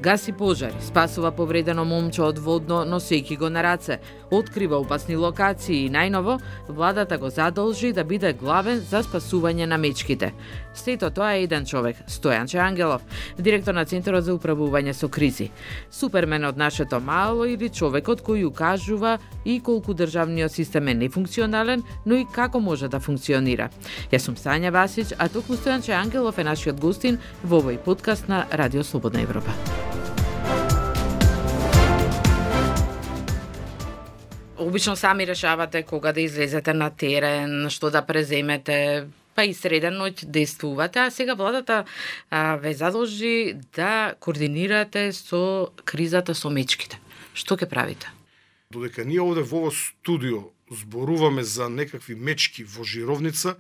Гаси пожари, спасува повредено момче од водно, носејќи го на раце, открива опасни локации и најново, владата го задолжи да биде главен за спасување на мечките. Сето тоа е еден човек, Стојанче Ангелов, директор на Центарот за управување со кризи. Супермен од нашето мало или човекот кој укажува и колку државниот систем е нефункционален, но и како може да функционира. Јас сум Сања Васич, а токму Стојанче Ангелов е нашиот гостин во овој подкаст на Радио Слободна Европа. Обично сами решавате кога да излезете на терен, што да преземете, па и среден ноќ действувате, а сега владата ве задолжи да координирате со кризата со мечките. Што ќе правите? Додека ние овде во ово студио зборуваме за некакви мечки во Жировница,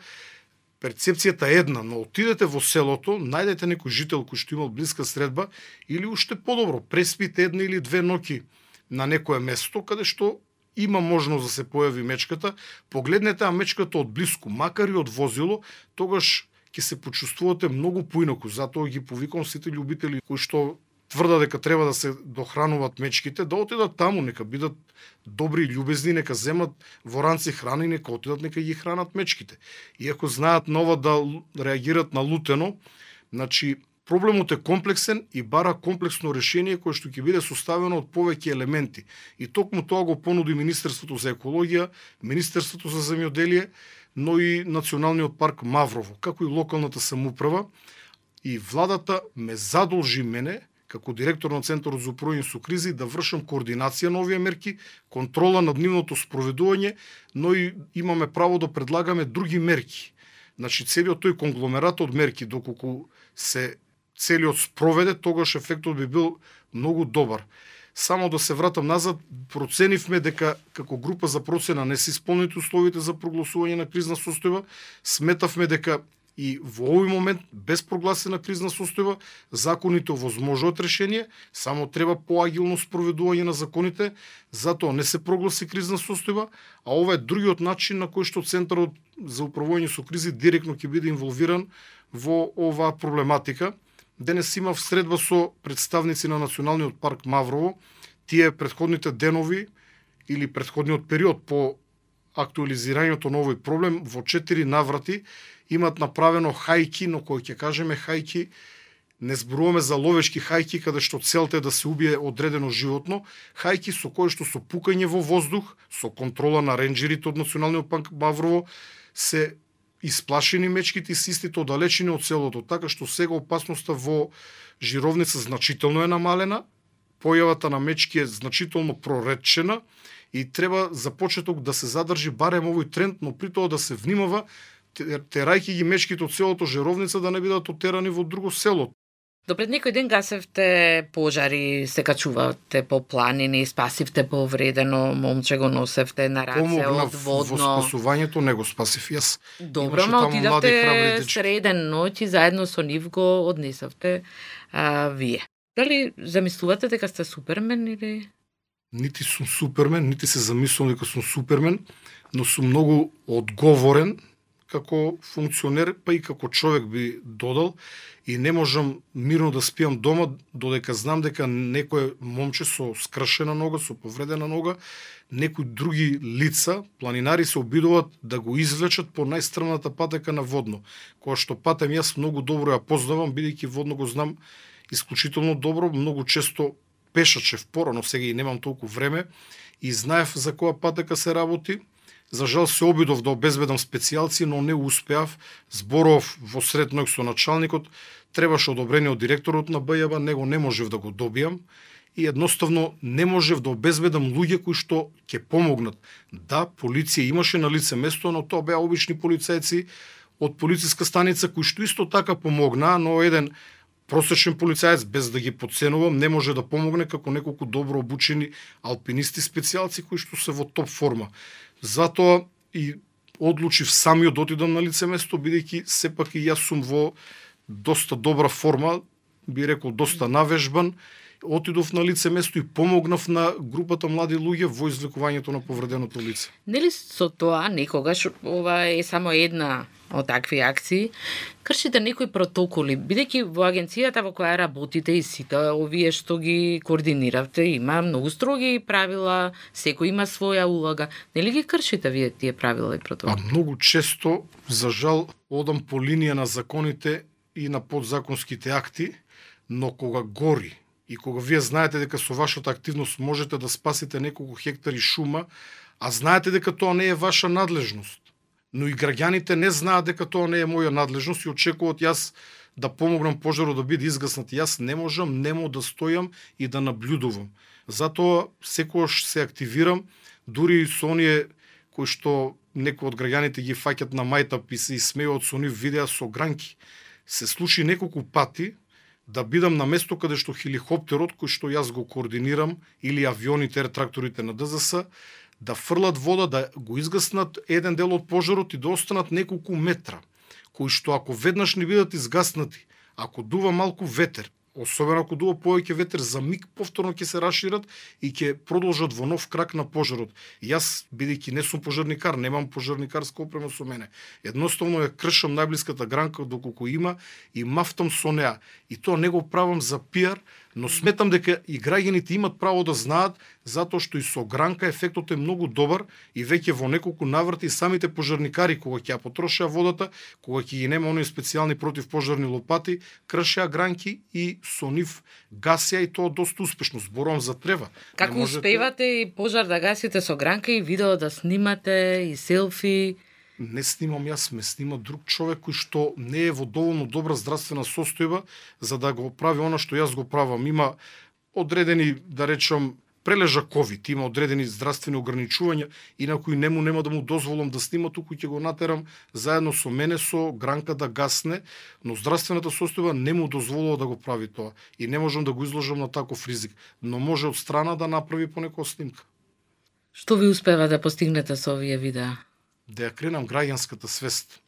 перцепцијата е една, но отидете во селото, најдете некој жител кој што имал блиска средба или уште подобро, преспите една или две ноќи на некое место каде што има можност да се појави мечката, погледнете мечката од блиску, макар и од возило, тогаш ќе се почувствувате многу поинаку. Затоа ги повикам сите љубители кои што тврда дека треба да се дохрануваат мечките, да отидат таму, нека бидат добри и љубезни, нека земат во ранци храни, нека отидат, нека ги хранат мечките. Иако знаат нова да реагират на лутено, значи проблемот е комплексен и бара комплексно решение кое што ќе биде составено од повеќе елементи. И токму тоа го понуди Министерството за екологија, Министерството за земјоделие, но и Националниот парк Маврово, како и локалната самоуправа. И владата ме задолжи мене, како директор на Центарот за управување со кризи, да вршам координација на овие мерки, контрола над нивното спроведување, но и имаме право да предлагаме други мерки. Значи, целиот тој конгломерат од мерки, доколку се целиот спроведе, тогаш ефектот би бил многу добар. Само да се вратам назад, проценивме дека како група за процена не се исполнети условите за прогласување на кризна состојба, сметавме дека и во овој момент, без прогласена кризна состојба, законите овозможуваат решение, само треба поагилно спроведување на законите, затоа не се прогласи кризна состојба, а ова е другиот начин на кој што Центарот за управување со кризи директно ќе биде инволвиран во оваа проблематика. Денес имав средба со представници на Националниот парк Маврово. Тие претходните денови или претходниот период по актуализирањето на овој проблем во 4 наврати имат направено хајки, но кој ќе кажеме хајки, не зборуваме за ловешки хајки каде што целта е да се убие одредено животно, хајки со кои што со пукање во воздух, со контрола на ренџерите од Националниот парк Маврово се исплашени мечките и се истите оддалечени од селото, така што сега опасноста во Жировница значително е намалена, појавата на мечки е значително проретчена и треба за почеток да се задржи барем овој тренд, но при тоа да се внимава, терајќи ги мечките од селото Жировница да не бидат отерани во друго село. Допред некој ден гасевте пожари, се качувате по планини, спасивте повредено момче, го носевте на раце од водно. Во спасувањето не го спасив јас. Добро, но отидавте среден ноќ и заедно со нив го однесавте вие. Дали замислувате дека сте супермен или? Нити сум супермен, нити се замислувам дека сум супермен, но сум многу одговорен како функционер, па и како човек би додал, и не можам мирно да спијам дома додека знам дека некој момче со скршена нога, со повредена нога, некои други лица, планинари се обидуваат да го извлечат по најстрмната патека на водно, која што патем јас многу добро ја познавам, бидејќи водно го знам исклучително добро, многу често пешачев порано, сега и немам толку време, и знаев за која патека се работи. За жал се обидов да обезбедам специјалци, но не успеав. Зборов во сред ноќ со началникот, требаше одобрение од директорот на БЈБ, него не можев да го добијам и едноставно не можев да обезбедам луѓе кои што ќе помогнат. Да, полиција имаше на лице место, но тоа беа обични полицајци од полициска станица кои што исто така помогнаа, но еден просечен полицаец, без да ги потценувам, не може да помогне како неколку добро обучени алпинисти специјалци кои што се во топ форма. Затоа и одлучив самиот да отидам на лице место, бидејќи сепак и јас сум во доста добра форма, би рекол доста навежбан, отидов на лице место и помогнав на групата млади луѓе во извлекувањето на повреденото лице. Нели со тоа некогаш ова е само една од такви акции, кршите некои протоколи, бидејќи во агенцијата во која работите и сите овие што ги координиравте има многу строги правила, секој има своја улога. Нели ги кршите вие тие правила и протоколи? Многу често, за жал, одам по линија на законите и на подзаконските акти, но кога гори и кога вие знаете дека со вашата активност можете да спасите неколку хектари шума, а знаете дека тоа не е ваша надлежност, но и граѓаните не знаат дека тоа не е моја надлежност и очекуваат јас да помогнам пожарот да биде изгаснат. Јас не можам немо да стојам и да наблюдувам. Затоа секогаш се активирам, дури и со оние кои што некои од граѓаните ги фаќат на мајтап и се исмејуват со нив видеа со гранки. Се случи неколку пати да бидам на место каде што хеликоптерот, кој што јас го координирам, или авионите, тракторите на ДЗС, да фрлат вода, да го изгаснат еден дел од пожарот и да останат неколку метра, кои што ако веднаш не бидат изгаснати, ако дува малку ветер, особено ако дува повеќе ветер, за миг повторно ќе се расшират и ќе продолжат во нов крак на пожарот. Јас, бидејќи не сум пожарникар, немам пожарникарска опрема со мене. Едноставно ја кршам најблиската гранка доколку има и мафтам со неа. И тоа не го правам за пиар, но сметам дека и граѓаните имат право да знаат, затоа што и со гранка ефектот е многу добар и веќе во неколку наврати и самите пожарникари кога ќе ја потрошеа водата, кога ќе ги нема оние специјални противпожарни лопати, кршеа гранки и со нив гасеа и тоа доста успешно. Зборувам за трева. Како успевате и пожар да гасите со гранка и видео да снимате и селфи? Не снимам јас, ме снима друг човек кој што не е во доволно добра здравствена состојба за да го прави она што јас го правам. Има одредени, да речам, прележа ковид, има одредени здравствени ограничувања и на кои нема да му дозволам да снима, туку ќе го натерам заедно со мене со гранка да гасне, но здравствената состојба не му дозволува да го прави тоа и не можам да го изложам на таков ризик, но може од страна да направи понекоја снимка. Што ви успева да постигнете со овие видеа? Да ја кренам граѓанската свест.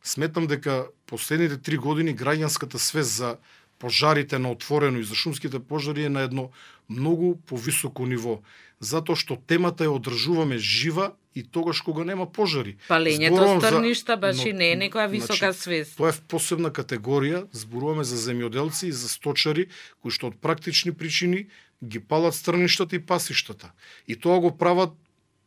Сметам дека последните 3 години граѓанската свест за пожарите на отворено и за шумските пожари е на едно многу повисоко ниво, затоа што темата ја одржуваме жива и тогаш кога нема пожари. Палењето стрништа баш и не е некоја висока свест. Тоа е посебна категорија, зборуваме за земјоделци и за сточари кои што од практични причини ги палат стрништата и пасиштата. И тоа го прават,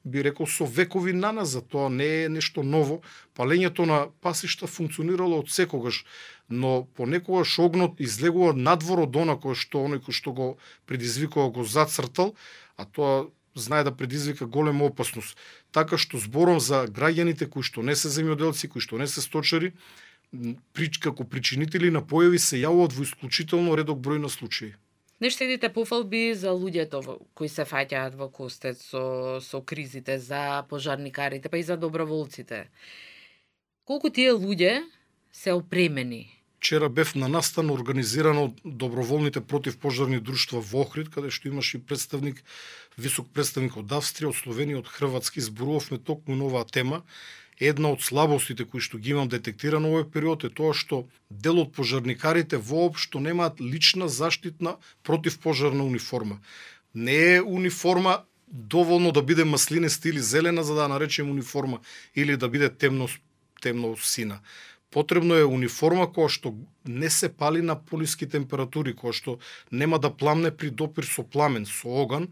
би рекол, со векови наназад. Тоа не е нешто ново. Палењето на пасишта функционирало од секогаш, но понекогаш огнот излегува надвор од она кој што го предизвикува, го зацртал, а тоа знае да предизвика голема опасност. Така што зборам за граѓаните кои што не се земјоделци, кои што не се сточари, како причинители на појави се јавуваат во исклучително редок број на случаи. Не штедите пофалби за луѓето кои се фаќаат во костет со кризите, за пожарникарите, па и за доброволците. Колку тие луѓе се опремени? Вчера бев на настан организиран од доброволните противпожарни друштва во Охрид, каде што имаше и висок представник од Австрија, од Словенија, од Хрватски. Зборувавме токму на оваа тема. Една од слабостите кои што ги имам детектирано овој период е тоа што дел од пожарникарите воопшто немаат лична заштитна противпожарна униформа. Не е униформа доволно да биде маслинеста или зелена за да наречем униформа или да биде темно сина. Потребно е униформа која што не се пали на пониски температури, која што нема да пламне при допир со пламен, со оган.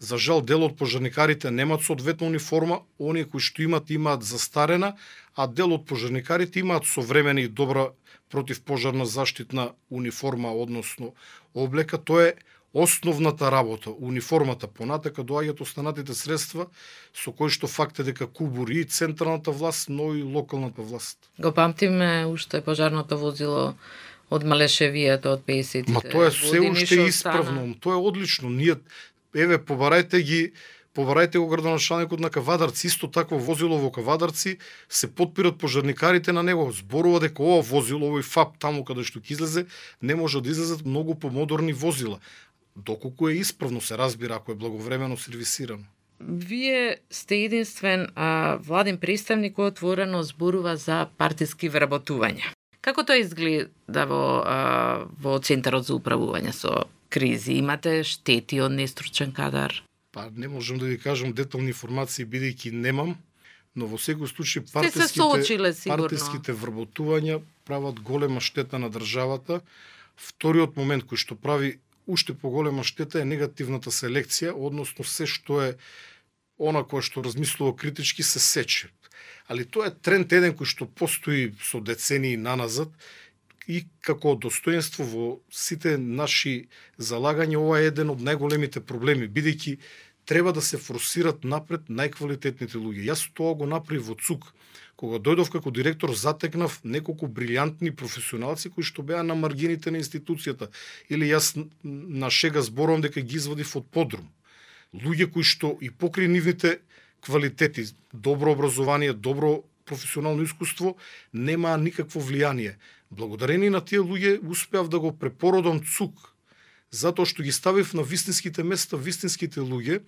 За жал, дел од пожарникарите немаат соодветна униформа, оние кои што имаат застарена, а дел од пожарникарите имаат современа и добра противпожарна заштитна униформа, односно облека. Тоа е основната работа. Униформата, понатака доаѓаат останатите средства со кои што факт е дека кубури и централната власт, но и локалната власт. Го памтиме уште пожарното возило од Малешевијата од 50-тите. Ма тоа е се уште исправно, тоа е одлично. Ние побарајте го градоначалникот на Кавадарци, исто такво возило во Кавадарци, се подпират пожарникарите на него. Зборува дека ова возило, овој ФАП таму каде што ќе излезе, не може да излезат многу помодерни возила. Доколку е исправно, се разбира, ако е благовремено сервисирано. Вие сте единствен владин представник кој отворено зборува за партиски вработувања. Како тоа изгледа во Центарот за управување со кризи? Имате штети од нестручен кадар? Па не можам да ви кажам детални информации, бидејќи немам, но во секој случај партиските вработувања прават голема штета на државата. Вториот момент кој што прави уште поголема штета е негативната селекција, односно се што е она кој што размислува критички се сече. Али тоа е тренд еден кој што постои со децении наназад и како достоинство во сите наши залагања. Ова е еден од најголемите проблеми, бидејќи треба да се форсират напред најквалитетните луѓе. Јас тоа го направив во ЦУК. Кога дојдов како директор, затекнав неколку брилјантни професионалци кои што беа на маргините на институцијата. Или јас на шега зборувам дека ги извадив од подрум. Луѓе кои што и покри нивните квалитети, добро образование, добро професионално искуство, немаа никакво влијание. Благодарение на тие луѓе успеав да го препородам ЦУК, затоа што ги ставив на вистинските места вистинските луѓе,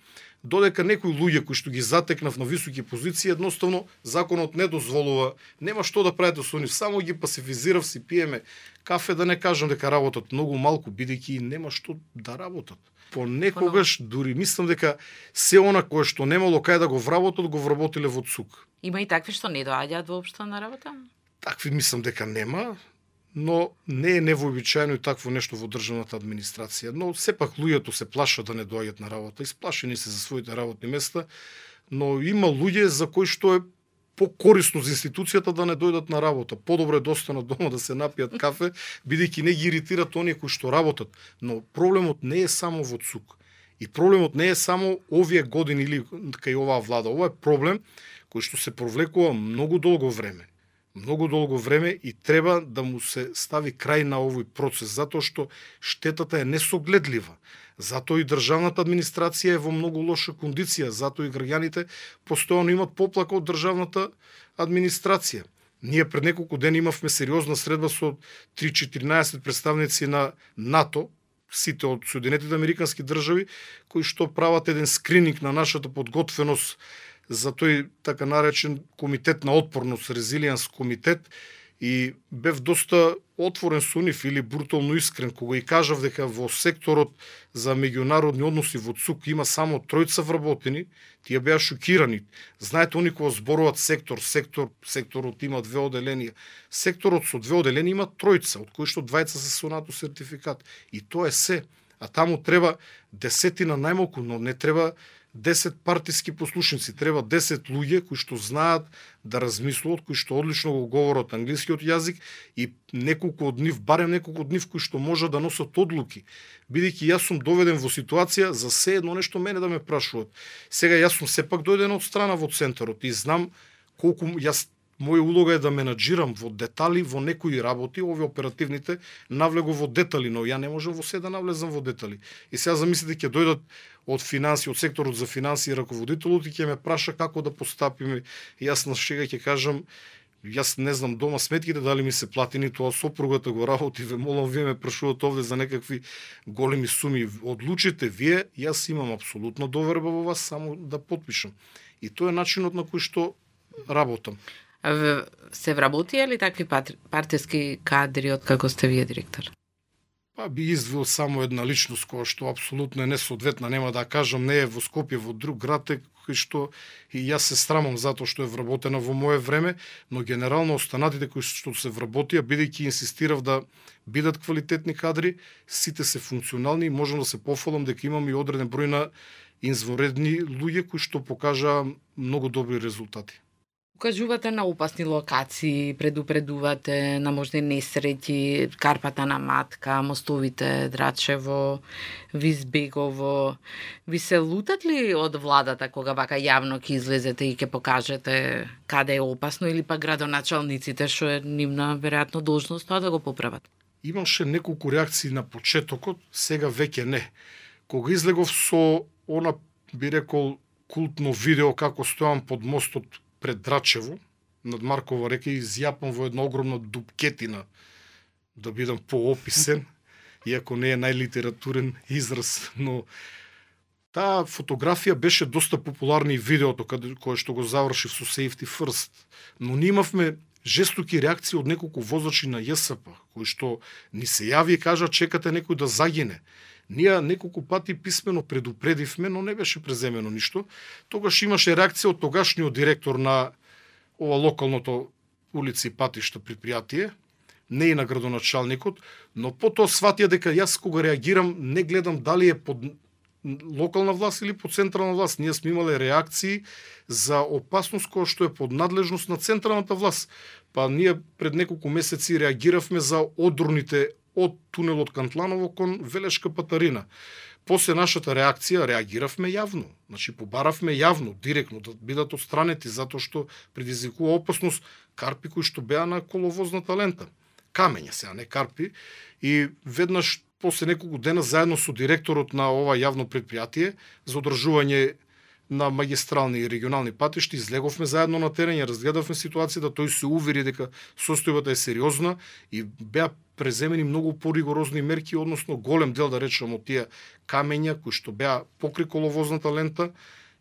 додека некои луѓе кои што ги затекнав на високи позиции, едноставно законот не дозволува, нема што да правите со нив, само ги пасифизирав, си пиеме кафе, да не кажам дека работат многу малку, бидејќи нема што да работат. Понекогаш дури мислам дека се она кое што немало кај да го вработиле во ЦУК. Има и такви што не доаѓаат воопшто на работа? Такви мислам дека нема, но не е невообичаено и такво нешто во државната администрација. Но сепак луѓето се плашат да не доаѓаат на работа, исплашени се за своите работни места, но има луѓе за кои што е покорисно за институцијата да не дојдат на работа. Подобро е да останат дома да се напијат кафе, бидејќи не ги иритират оние кои што работат. Но проблемот не е само во ЦУК. И проблемот не е само овие години или кај оваа влада. Ова е проблем кој што се провлекува многу долго време и треба да му се стави крај на овој процес, затоа што штетата е несогледлива. Затоа и државната администрација е во многу лоша кондиција, затоа и граѓаните постојано имат поплака од државната администрација. Ние пред неколку дена имавме сериозна средба со 3-14 представници на НАТО, сите од Соединетите американски држави, кои што прават еден скрининг на нашата подготвеност за тој така наречен комитет на отпорност, резилиенс комитет, и бев доста отворен со нив или брутално искрен кога и кажав дека во секторот за меѓународни односи во ЦУК има само 3 вработени, тие беа шокирани. Знаете, они кога зборуваат секторот има 2 оделенија. Секторот со 2 оделенија има 3, од кои што 2 се со НАТО сертификат. И тоа е се. А таму треба 10 најмалку, но не треба 10 партиски послушници, треба 10 луѓе кои што знаат да размислуваат, кои што одлично го говорат англискиот јазик и барем неколку од нив кои што можат да носат одлуки. Бидејќи јас сум доведен во ситуација за се едно нешто мене да ме прашуваат. Сега јас сум сепак дојден од страна во центарот и знам колку моја улога е да менаџирам во детали во некои работи, овие оперативните навлего во детали, но ја не можам во се да навлезам во детали. И сега замислите ќе дојдат од финанси, од секторот за финанси и раководителот и ќе ме праша како да постапиме. Јас на шега ќе кажам, јас не знам дома сметките дали ми се платени, тоа сопругата го работи, ве молам, вие ме прашувате овде за некакви големи суми. Одлучите вие, јас имам апсолутно доверба во вас, само да потпишам. И тоа е начинот на кој што работам. Се вработија ли такви партиски кадри од како сте вие директор? Би извил само една личност која што апсолутно е несоодветна, нема да кажам, не е во Скопје, во друг град е, кој што и јас се срамам затоа што е вработена во мое време, но генерално останатите кои што се вработија, бидејќи инсистирав да бидат квалитетни кадри, сите се функционални и можам да се пофалам дека имам и одреден број на извонредни луѓе кои што покажаа многу добри резултати. Укажувате на опасни локации, предупредувате на можни несреќи, Карпата на Матка, мостовите Драчево, Визбегово. Ви се лутат ли од владата кога вака јавно ќе излезете и ќе покажете каде е опасно, или па градоначалниците, што е нивна веројатно должност, тоа да го поправат? Имаше неколку реакции на почетокот, сега веќе не. Кога излегов со она, би рекол, култно видео како стојам под мостот пред Драчево, над Маркова река, и изјапам во една огромна дупкетина, да бидам поописен, иако не е најлитературен израз, но таа фотографија беше доста популарна и видеото кое што го завршив со Safety First, но ние имавме жестоки реакции од неколку возачи на ЈСП, кои што ни се јави и кажа чекате некој да загине. Ние неколку пати писмено предупредивме, но не беше преземено ништо. Тогаш имаше реакција од тогашниот директор на ова локалното улици и патишта предпријатие, не и на градоначалникот, но потоа сватија дека јас кога реагирам не гледам дали е под локална власт или под централна власт. Ние сме имале реакции за опасност која што е под надлежност на централната власт. Па ние пред неколку месеци реагиравме за одрните од тунелот Кантланово кон Велешка Патарина. После нашата реакција реагиравме јавно. Значи побаравме јавно, директно да бидат отстранети затоа што предизвикува опасност карпи кои што беа на коловозната лента. Камења сега, не карпи. И веднаш после неколку дена заедно со директорот на ова јавно предпријатие за одржување на магистрални и регионални патишти, излеговме заедно на терен, ја разгледавме ситуацијата, тој се увери дека состојбата е сериозна и беа преземени многу поригорозни мерки, односно голем дел, да речем, од тие камења кои што беа покри коловозната лента,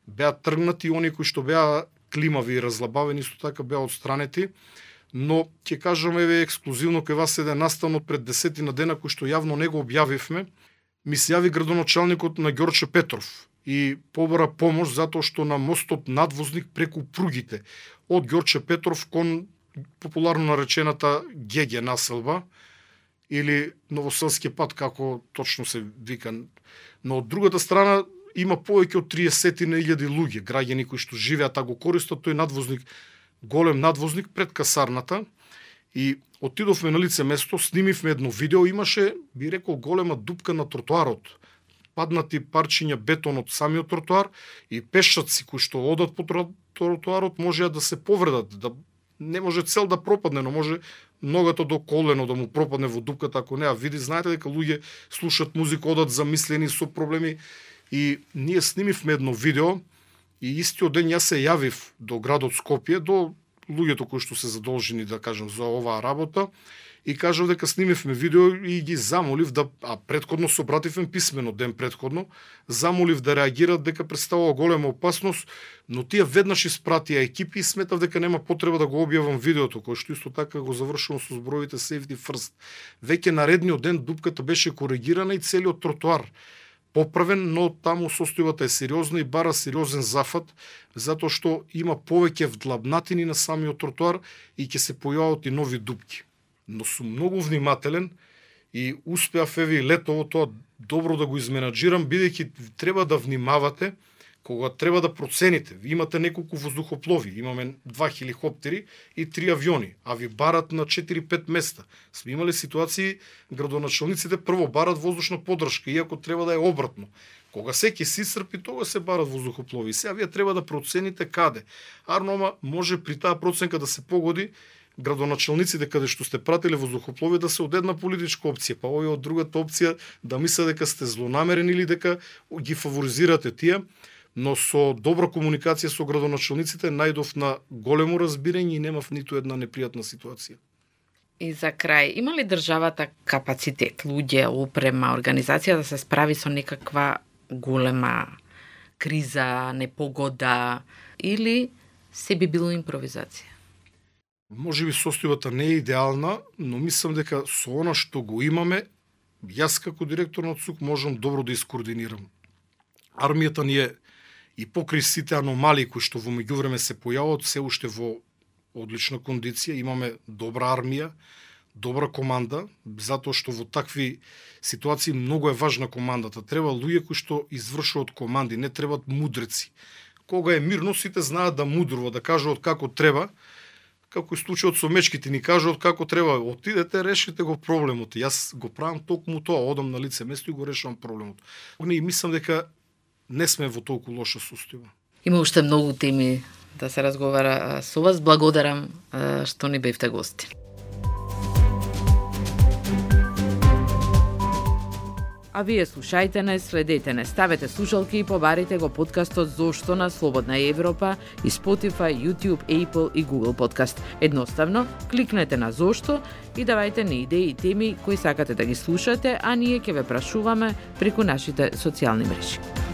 беа тргнати, и они кои што беа климави и разлабавени, исто така беа отстранети. Но ќе кажаме ексклузивно кај вас еден настанот пред 10 дена кој што јавно не го објавивме, ми се јави градоначалникот на Ѓорче Петров и побара помош затоа што на мостот надвозник преку пругите од Ѓорче Петров кон популарно наречената ГГ населба или Новоселски пат, како точно се вика. Но од другата страна има повеќе од 30.000 луѓе, граѓани кои што живеат, а го користат тој надвозник, голем надвозник пред касарната. И отидовме на лице место, снимивме едно видео, имаше, би рекол, голема дупка на тротоарот. Паднати парчиња бетон од самиот тротоар и пешаци кои што одат по тротоарот можеа да се повредат, да не може цел да пропадне, но може ногата до колено да му пропадне во дупката, ако не ја види. Знаете дека луѓе слушат музика, одат замислени со проблеми, и ние снимивме едно видео и истиот ден јас се јавив до градот Скопје, до луѓето кои што се задолжени, да кажем, за оваа работа, и кажав дека снимивме видео и ги замолив да, а предходно се обративме писмено ден предходно, замолив да реагираат дека представува голема опасност, но тие веднаш испратија екипи и сметав дека нема потреба да го објавам видеото, кој што исто така го завршувам со зборовите safety first. Веќе наредниот ден дупката беше коригирана и целиот тротоар поправен, но таму состојбата е сериозна и бара сериозен зафат, затоа што има повеќе вдлабнатини на самиот тротоар и ќе се појават и нови дупки. Но сум многу внимателен и успеав еве летово тоа добро да го изменаџирам, бидејќи треба да внимавате кога треба да процените. Ви имате неколку воздухоплови, имаме 2 хеликоптери и 3 авиони, а ви барат на 4-5 места. Сме имали ситуации, градоначалниците прво барат воздушна поддршка, иако треба да е обратно. Кога секи се исцрпи, тога се барат воздухоплови. Сега вие треба да процените каде. Арнома може при таа проценка да се погоди градоначалниците каде што сте пратиле воздухоплови да се од една политичка опција, па овие од другата опција да мислат дека сте злонамерени или дека ги фаворизирате тие. Но со добра комуникација со градоначалниците најдов на големо разбирање и немав ниту една непријатна ситуација. И за крај, има ли државата капацитет, луѓе, опрема, организација да се справи со некаква голема криза, непогода, или се би било импровизација? Може би состојбата не е идеална, но мислам дека со она што го имаме, јас како директор на ЦУК можам добро да искоординирам. Армијата ни е и покри сите аномалии кои што во меѓувреме се појават, се уште во одлична кондиција, имаме добра армија, добра команда, затоа што во такви ситуации многу е важна командата. Треба луѓе кои што извршуваат команди, не требаат мудреци. Кога е мирно, сите знаат да мудрува, да кажуваат како треба, како и случајот со мечките, ни кажуваат како треба. Отидете, решите го проблемот. Јас го правам токму тоа, одам на лице место и го решавам проблемот. И мислам дека не сме во толку лоша состојба. Има уште многу теми да се разговара со вас. Благодарам што ни бевте гости. А вие слушајте не, следете не, ставете слушалки и побарите го подкастот Зошто на Слободна Европа и Spotify, YouTube, Apple и Google Podcast. Едноставно, кликнете на Зошто и давајте ни идеи и теми кои сакате да ги слушате, а ние ќе ве прашуваме преку нашите социјални мрежи.